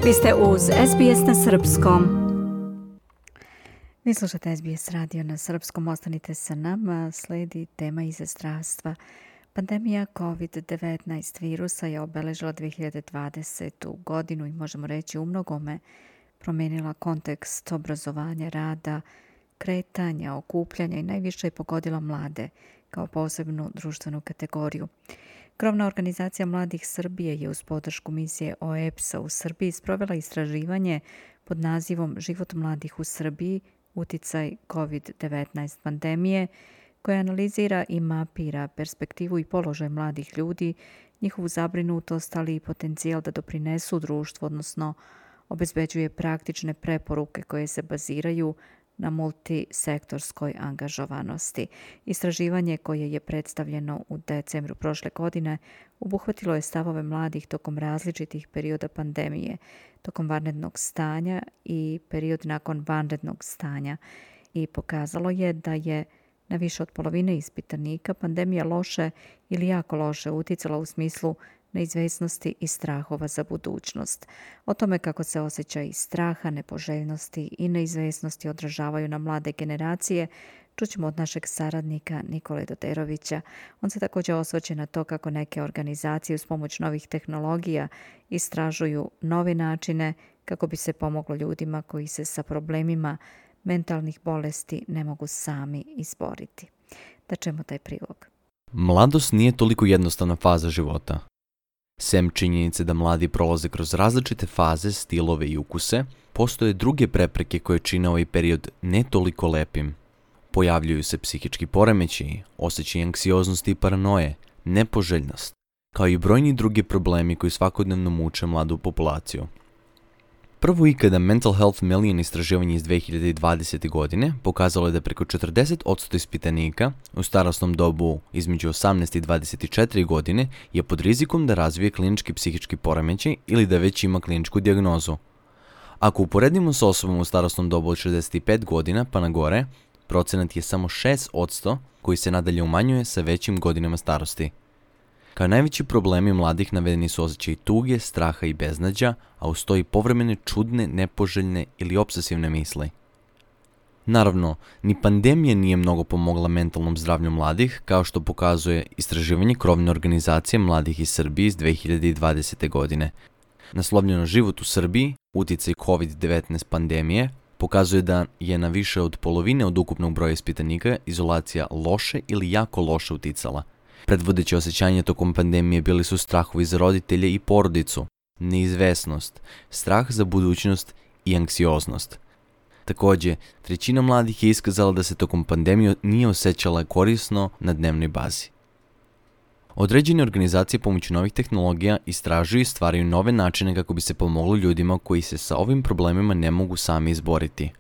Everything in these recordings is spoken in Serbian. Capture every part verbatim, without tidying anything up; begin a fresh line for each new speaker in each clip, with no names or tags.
Vi ste uz S B S na srpskom. Vi slušate S B S radio na srpskom, ostanite sa nama, sledi tema iz zdravstva. Pandemija kovid devetnaest virusa je obeležila dve hiljade dvadesetu godinu i možemo reći u mnogome promijenila kontekst obrazovanja, rada, kretanja, okupljanja i najviše je pogodila mlade kao posebnu društvenu kategoriju. Krovna organizacija Mladih Srbije je uz podršku misije O E B S-a u Srbiji sprovela istraživanje pod nazivom Život mladih u Srbiji, uticaj kovid devetnaest pandemije, koja analizira i mapira perspektivu i položaj mladih ljudi, njihovu zabrinutost, ali i potencijal da doprinesu društvu, odnosno obezbeđuje praktične preporuke koje se baziraju na multisektorskoj angažovanosti. Istraživanje koje je predstavljeno u decembru prošle godine obuhvatilo je stavove mladih tokom različitih perioda pandemije, tokom vanrednog stanja i period nakon vanrednog stanja i pokazalo je da je na više od polovine ispitanika pandemija loše ili jako loše uticala u smislu neizvesnosti i strahova za budućnost. O tome kako se osjećaj straha, nepoželjnosti i neizvesnosti odražavaju na mlade generacije čućemo od našeg saradnika Nikole Doderovića. On se također osvrće na to kako neke organizacije uz pomoć novih tehnologija istražuju nove načine kako bi se pomoglo ljudima koji se sa problemima mentalnih bolesti ne mogu sami izboriti. Da čujemo taj prilog.
Mladost nije toliko jednostavna faza života. Sem činjenice da mladi prolaze kroz različite faze, stilove i ukuse, postoje druge prepreke koje čine ovaj period ne toliko lepim. Pojavljuju se psihički poremećaji, osjećaj anksioznosti i paranoje, nepoželjnost, kao i brojni drugi problemi koji svakodnevno muče mladu populaciju. Prvo ikada Mental Health Million istraživanje iz dve hiljade dvadesete. godine pokazalo je da preko četrdeset posto ispitanika u starosnom dobu između osamnaest i dvadeset četiri godine je pod rizikom da razvije klinički psihički poremećaj ili da već ima kliničku dijagnozu. Ako uporedimo s osobom u starosnom dobu od šezdeset pet godina pa na gore, procenat je samo šest posto koji se nadalje umanjuje sa većim godinama starosti. Kao najveći problemi mladih navedeni su osjećaj tuge, straha i beznađa, a uz to i povremene čudne, nepoželjne ili obsesivne misli. Naravno, ni pandemija nije mnogo pomogla mentalnom zdravlju mladih, kao što pokazuje istraživanje krovne organizacije Mladih iz Srbije iz dve hiljade dvadesete. godine. Naslovljeno Život u Srbiji, uticaj kovid devetnaest pandemije, pokazuje da je na više od polovine od ukupnog broja ispitanika izolacija loše ili jako loše uticala. Predvodeće osjećanja tokom pandemije bili su strahovi za roditelje i porodicu, neizvesnost, strah za budućnost i anksioznost. Također, trećina mladih je iskazala da se tokom pandemije nije osjećala korisno na dnevnoj bazi. Određene organizacije pomoću novih tehnologija istražuju i stvaraju nove načine kako bi se pomoglo ljudima koji se sa ovim problemima ne mogu sami izboriti.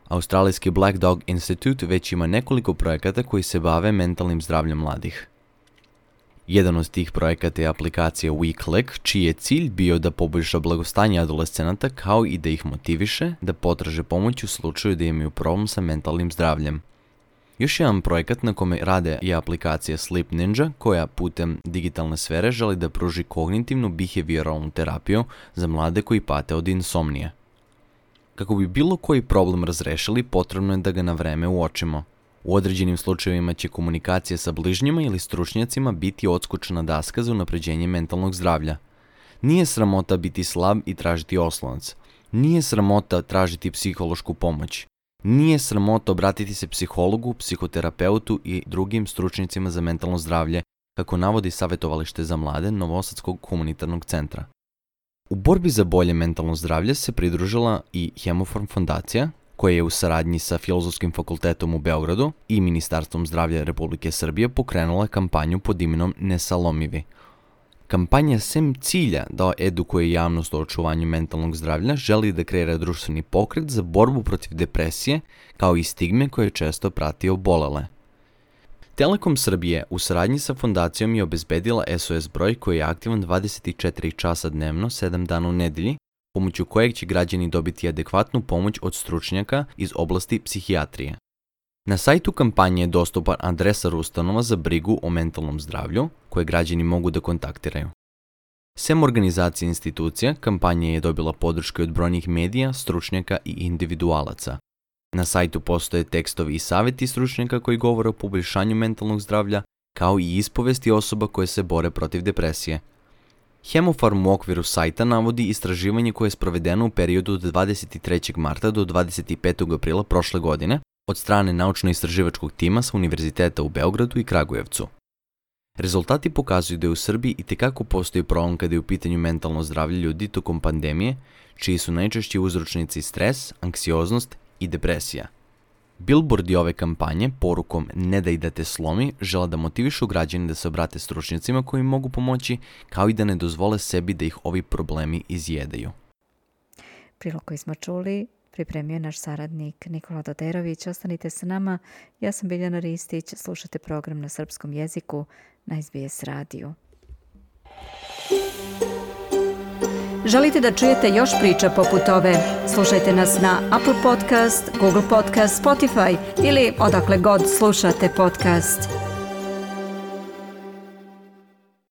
Australijski Black Dog Institute već ima nekoliko projekata koji se bave mentalnim zdravljem mladih. Jedan od tih projekata je aplikacija WeClick, čiji je cilj bio da poboljša blagostanje adolescenata kao i da ih motiviše da potraže pomoć u slučaju da imaju problem sa mentalnim zdravljem. Još jedan projekat na kome rade je aplikacija Sleep Ninja, koja putem digitalne sfere želi da pruži kognitivnu behavioralnu terapiju za mlade koji pate od insomnije. Kako bi bilo koji problem razrešili, potrebno je da ga na vreme uočimo. U određenim slučajevima će komunikacija sa bližnjima ili stručnjacima biti odskočna daska za unapređenje mentalnog zdravlja. Nije sramota biti slab i tražiti oslonac. Nije sramota tražiti psihološku pomoć. Nije sramota obratiti se psihologu, psihoterapeutu i drugim stručnjacima za mentalno zdravlje, kako navodi savjetovalište za mlade Novosadskog humanitarnog centra. U borbi za bolje mentalno zdravlje se pridružila i Hemofarm fondacija, koja je u saradnji sa Filozofskim fakultetom u Beogradu i Ministarstvom zdravlja Republike Srbije pokrenula kampanju pod imenom Nesalomivi. Kampanja sem cilja da edukuje javnost o očuvanju mentalnog zdravlja želi da kreira društveni pokret za borbu protiv depresije kao i stigme koje često prati obolele. Telekom Srbije u saradnji sa fondacijom je obezbedila S O S broj koji je aktivan dvadeset četiri časa dnevno, sedam dana u nedelji, pomoću kojeg će građani dobiti adekvatnu pomoć od stručnjaka iz oblasti psihijatrije. Na sajtu kampanje je dostupan adresa ustanova za brigu o mentalnom zdravlju koje građani mogu da kontaktiraju. Sem organizacije institucija, kampanja je dobila podrške od brojnih medija, stručnjaka i individualaca. Na sajtu postoje tekstovi i savjeti stručnjaka koji govore o poboljšanju mentalnog zdravlja, kao i ispovesti osoba koje se bore protiv depresije. Hemofarm u okviru sajta navodi istraživanje koje je sprovedeno u periodu od dvadeset trećeg marta do dvadeset petog aprila prošle godine od strane naučno-istraživačkog tima sa Univerziteta u Beogradu i Kragujevcu. Rezultati pokazuju da je u Srbiji itekako postoji problem kada je u pitanju mentalno zdravlje ljudi tokom pandemije, čiji su najčešći uzročnici stres, anksioznost i depresija. Billboardi ove kampanje porukom "Ne daj da te slomi" žele da motivišu građane da se obrate stručnjacima koji im mogu pomoći, kao i da ne dozvole sebi da ih ovi problemi izjedaju.
Prilog koji smo čuli pripremio je naš saradnik Nikola Doderović. Ostanite sa nama. Ja sam Biljana Ristić. Slušate program na srpskom jeziku na S B S radiju. Želite da čujete još priča poput ove? Slušajte nas na Apple Podcast, Google Podcast, Spotify ili odakle god slušate podcast.